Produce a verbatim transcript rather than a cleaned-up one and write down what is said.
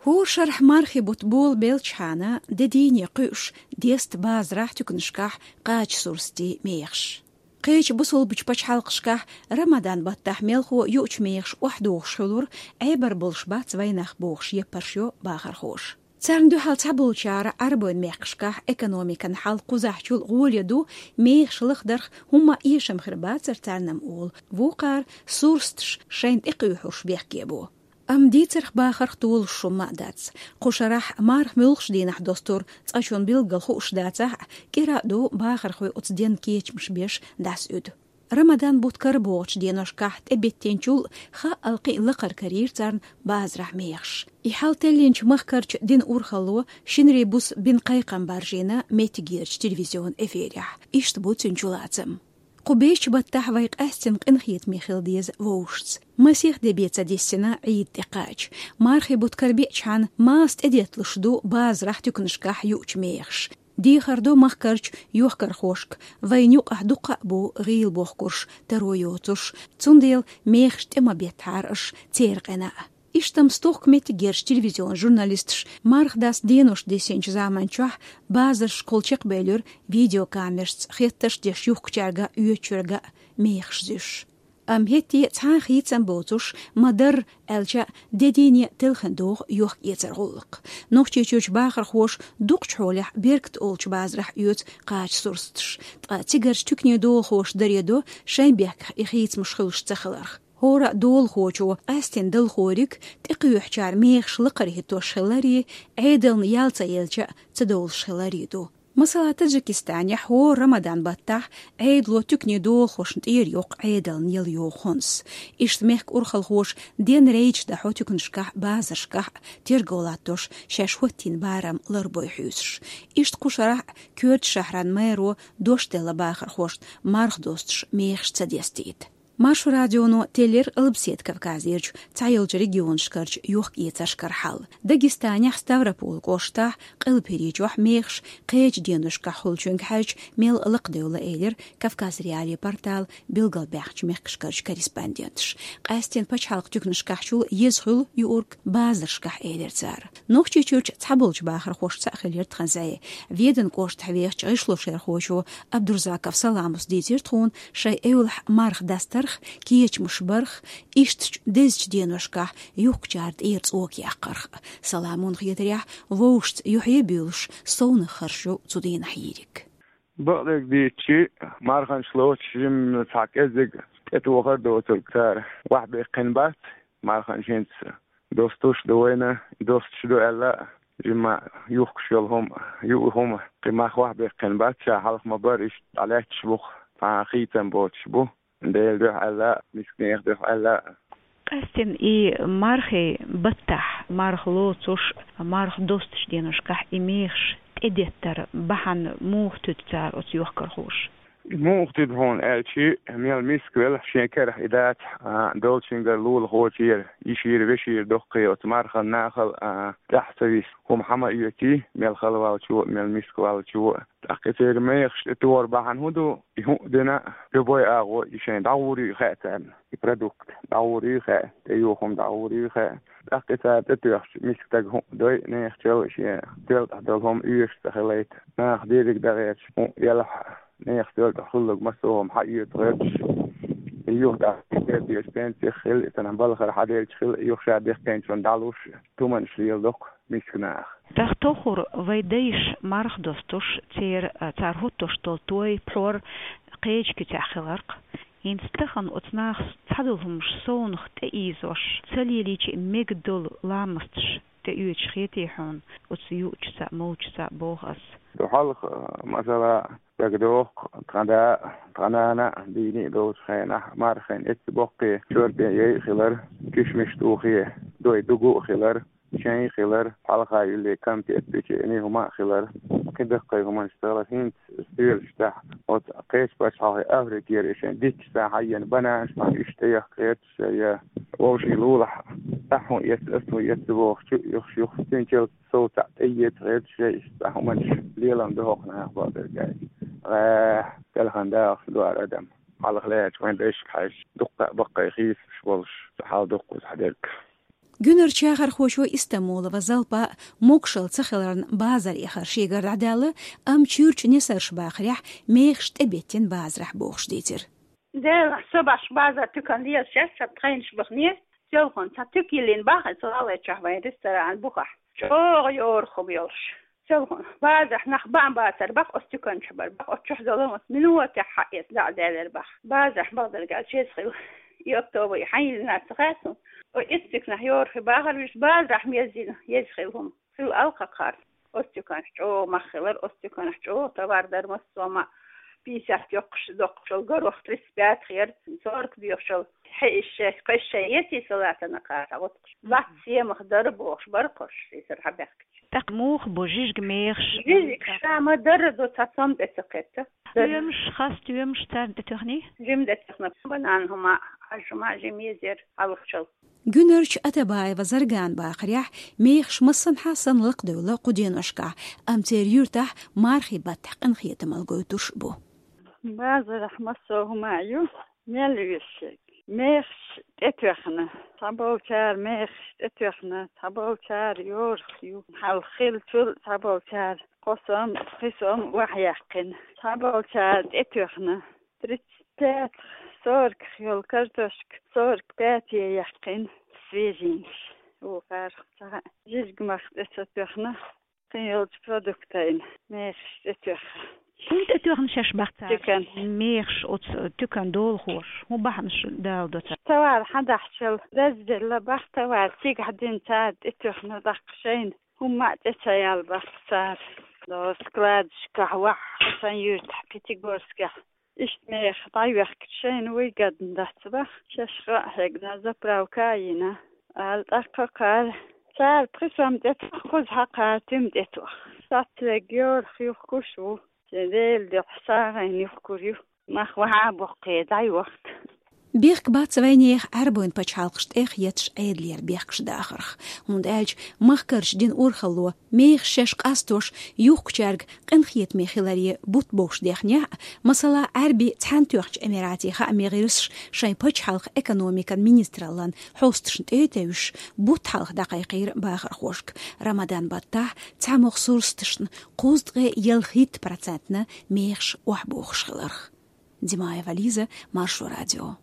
Хора шарахь мархий бутт болабелчхьана, де дийне кхуьуш деста базарахь, туьканашкахь кхача сурсатийн мехаш. Кхечу бусалбачу пачхьалкхашкахь Рамадан баттахь мелхо юучу мехаш охьадогӀуш хуьлура, Ӏебар болуш бац вайнах бохуш, яппарш йо бахархоша. Царна дуьхьал цхьаболчара Ӏарбойн мехкашкахь экономикан хьал кхузахьчул гӀоле ду, мехаш лахдарх хӀумма а эшам хир бацара царна-м олу, вукхара сурсаташ шайна тӀекхуьйхьуш бехке бу. Амма дийцарх, бахарх толуш хӀумма а дац. Кху шарахь марха муьлххачу дийнахь достур цкъачунна билггал хууш дацахь а, кӀира а ду бахархой оцу денна кечамаш беш дӀасаӀуьду. Рамадан бутт карабогӀучу деношкахь тӀебеттинчул хаъал кхин а лакхара карийра царна базарахь мехаш. И хьал теллинчу махкарчу динан урхалло шинарин буса бина кхайкхам баржийна меттигерчу телевизионан эфирехь. Иштта бу цуьнан чулацам. Кху бешачу баттахь вай къаьстина къинхетаме хила деза вовшашца. Масех де бен ца диссина Ӏийда тӀекхача, мархий бутт карабеачхьана, маса тӀедетталуш ду базарахь, туьканашкахь юучу мехаш. Дехар до махкарчу йохкархошка, вайна юкъахь дуккха а бу гӀийла бохкурш, таро йоцуш, цундела мехаш тӀе ма беттахьара аша церан къина а. Иштта-м стохка меттигерчу телевизионан журналисташа марха даста денош диссинчу заманчохь базаршкахула чекхбевлира видеокамерашца, хеттарш деш юхкучаьрга а, оьцучуьрга а мехаш зуьйш. Амма хӀетте а цхьа а хийцам боцуш ма-дарра аьлча а, де дийне телхина догӀу йохка-эцаран гӀуллакх. Нохчийчуьрчу бахархоша дукхачу хьолехь беркат олучу базарахь оьцу кхача сурсаташ, ткъа цигарчу туьканийн долахоша даре до шайн бехках и хийцамаш хуьлуш ца хиларх. ХӀора а долахочо къаьстина далхориг тӀекхоьхьучара мехаш лакхара хӀиттош хиларе, Ӏедална ял ца елча а ца довлуш хиларе ду. Масала, Таджикистанехь хӀора Рамадан баттахь Ӏедало туьканийн долахошна тӀера йоккху Ӏедална ял йогӀу хӀонс. Иштта мехкан урхалхоша ден рейдаш дахьо туьканашкахь а, базаршкахь а, терго латтош, шаьш хӀоттийна барам ларбой хьуьйсуш. Иштта кху шарахь а Кёртачу шахьран мэро дош делла бахархошна марха достуш мехаш ца дестийта. Маршо радионо теллира Албаседа Кавказерчу цхьайолчу регионашкарчу йохка-эцаршкара хьал. Дагестанехь Ставрополь кӀоштахь, Къилбаседа чохь мехаш кхечу деношкахь хуьлучуьнга хьаьжча, мел лакхадевлла, элира Кавказ.Реалии порталан билгалбаьхначу мехкашкарчу корреспонденташа. Къаьстина пачхьалкхан туьканашкахьчул еза хуьлу юург базаршкахь, элира цара. Нохчийчуьрчу цхьаболчу бахархошца а хилира тхан зӀе. Веданан кӀоштахь вехачу гӀишлошерхочо Абдурзаков Саламас дийцира тхуна шайн эвлахь марха дастарх, кечамаш барх, ишттачу дезачу деношкахь юхкучара тӀера цӀока яккхарх. Саламон хетарехь, вовшашца юьхье а буьйлуш, совнах харжо цу дийнахь йийриг. Бакъдерг дийцича, марханаш лоцуш жимма цхьа кӀеззиг тӀетохар доцург цара охьабаьккхина бац, марханаш хӀинца достуш а ду вайна, достуш а ду аьлла а, жимма юхкуш йолу хӀума, юург хӀума кхин мах охьабаьккхина бац, ша хьалха ма-барра иштта дӀалаьтташ бу-кх, цхьа а хийцам боцуш бу. Делан дуьхьа аьлла а, мисканехан дуьхьа аьлла а. Къаьстина и мархий баттахь, марха лоцуш, марха достучу деношкахь и мехаш тӀедеттаран бахьана муха туьду цара оцу йохкархоша? Муха туьду хьуна аьлча, мел миска велахь, шен карахь и дацахь, а, долчуьнгара лулахочуьра, йишера, вешера доккхий оцу марханан нахал, а, тӀаьхьа ца виса, хӀума хьа ма оьций, мел хала валчо а, мел миска валчо а. ТӀаккха и церан мехаш тӀетохар бахьана хӀун ду? И хӀуъа дина а, любой агӀо и шайна дӀагӀур ю и хаьа царна. И продукт дӀагӀур ю и хаьа, тӀеюху хӀума дӀагӀур ю и хаьа. ТӀаккха и цара тӀетоьхча, миска стага хӀуъа дой, нехачалла шен тоьлла тӀехь долу хӀума оьшуш ца хилийта. Наха дерриг дан гӀерташ хӀуъа елахь а, нехан тоьлла тӀехь хуьлург массо а хӀума хьаоьцу гӀерташ. И юха тӀаккха и гӀерташ пенсих хила, и санна балхара хьаделча хила, и юха ша бехкенчунна дӀалуш, туманаш леладо-кх миска наха. ТӀаккха тоххур вай дайша марха достуш, церан, а, цара хӀуттуш долу той, пхьор кхечу куьцехь хиларх. ХӀинца тахана оцу нахаца цхьадолу хӀумнаш совнаха тӀеийзош, ца лелийча а мега долу ламасташ тӀеоьцуш хетий хьуна оцу юучуьнца а, молчуьнца а, боху ас? Ду хьалха, масала, дагадоху, тхан да а, тхан нана а дийне а долчу хенахь, мархин эццабоккхий чорпе яй а хилар, кишмиш тухе дой дугу а хилар, чай а хилар, хьалха юьллий кампет, печени, хӀума а хилар, кхин даккхий хӀуманаш ца хилар. ХӀинца стоьлаш тӀехь оцу кхечу пачхьалкхе, Африкера и шайн дитташ цхьа хьаена бананаш, марха иштта тӀеяхка гӀерташ, я вовшийн лулахь, ахь хӀун эцна, ас хӀун эцна бохучу юхаш юха цуьнан чалт сов цхьаъ тӀеэца гӀерташ, я иштта цхьа хӀуманаш лелам ду хӀокху наха, бакъдерг аьлча. ГӀехь, телхина дахалц ду хӀара адам. Хьалха лаьттачу вайн дайшка хьаьжча, дуккха а баккхий хийцамаш болуш, цхьа хьал дуккха цхьа дерг. Гуьнарчу яхархочо Истамбулова Залпа могашалла ца хиларна базар яхар шегара дӀадаьлла, амма чуьйрачу несарша бахарехь, мехаш тӀебеттина базарахь бохуш дийцира. Делахь, со бахча базар туькан лелаш яц, ша тхайнаш бахне, селхана цхьа туька йиллина баха, ца лалайчохь вайн ресторан бухахь. ЧӀогӀа йора хӀума йолуш. Селхана базарахь нах бан бацар баха, оцу туьканчохь бар баха, оцу чохь долу оцу минотехь хьаэца дӀа а даьллера баха. Базарахь бахдарг аьлла чеза хила. И октябрь хьан йиллина ца хаьа суна. О, исс туьканахь йора хи бахар, вуьш базарахь меззина, еза хила хӀума. Хила алкхакхар. Оцу туьканахь чӀогӀа мах хилар, оцу туьканахь чӀогӀа товар дар массо а ма. Пятьдесят йоккхуш доккхучул горох тридцать пять хир, сорок доьхучул хье ишше, кхешше ети салатана кхара гӀутакхаш. Лац семах дара бохуш, бара кхуш, и сар хьабехкача. ТӀаккха муха бу жижиг мехаш? Жижиг ша ма дара ду, цхьа цом тӀе ца кхетта. Стоьмаш, ха стоьмаш царна тӀе тоьхний? Жим тӀе тоьхна, банан хӀума, хьаж хӀума жим езер хьалхачул. Гуьнарчу Атабаева Зарган бахарехь, мехаш массанхьа санна лакхадевлла кху деношкахь, амма церан юьртахь мархий баттахь къинхетамалла гойтуш бу. Базарахь массо а хӀума ю, мел вешшерг. Мехаш тӀетоьхна, цхьаболчара мехаш тӀетоьхна, цхьаболчара йорах ю. Хьалха хиллачул цхьаболчара кхо сом, пхи сом охьаяьккхина. Цхьаболчара тӀетоьхна. Тридцать пять, сорок йолу картошка, сорок пять яьккхина, свежийнаш. Вукхара цхьа жижиг мах тӀе ца тоьхна, кхин йолчу продуктайна мехаш тӀе тоьхна. ХӀунда тӀе тоьхна шаьш бах цара? Туькан. Мехаш оцу туькан долахоша хӀун бахьанаш даладо цара? Товар хьан дахьчул дазделла бах товар, цигахь дина цара тӀе тоьхна даккха шайна. ХӀумма а тӀе ца яьлла бах цара. До складашкахь вахьа, сан юьртахь Пятигорскехь. Иштта меха дӀайоьхкича шайна выгодно дац бах, шаьш гӀа а хьегна, заправка а йина, ала тӀаккха кхара. Цара пхи сом тӀе тоьхна, кхуза хьакхара туьма тӀе тоьхна. Сацвег йорах юхкуш ву, шен Делан дуьхьа сагӀина юхкур ю. Мах вахьа а боккхий дӀайохка. Бехк бац вайнехан Ӏаьрбойн пачхьалкхаш тӀех етташ Ӏедалера бехкаш дахарх, хӀунда аьлча махкарчу динан урхалло мехаш шаьш къастош юхкучаьрга къинхетаме хиларе бутт бовш дехнехь а, масала, Ӏаьрби Цхьаьнатоьхначу Эмиратийн хаамийн гӀирсаш шайн пачхьалкхан экономикан министраллан хьосташна тӀе а тевжаш, бутт хьалха дӀакхайкхийра бахархошка Рамадан баттахь цхьамогӀа сурсаташна кхузткъе ялхитта процентна мехаш охьабохуш хиларх. Димаева Лиза, Маршо радио.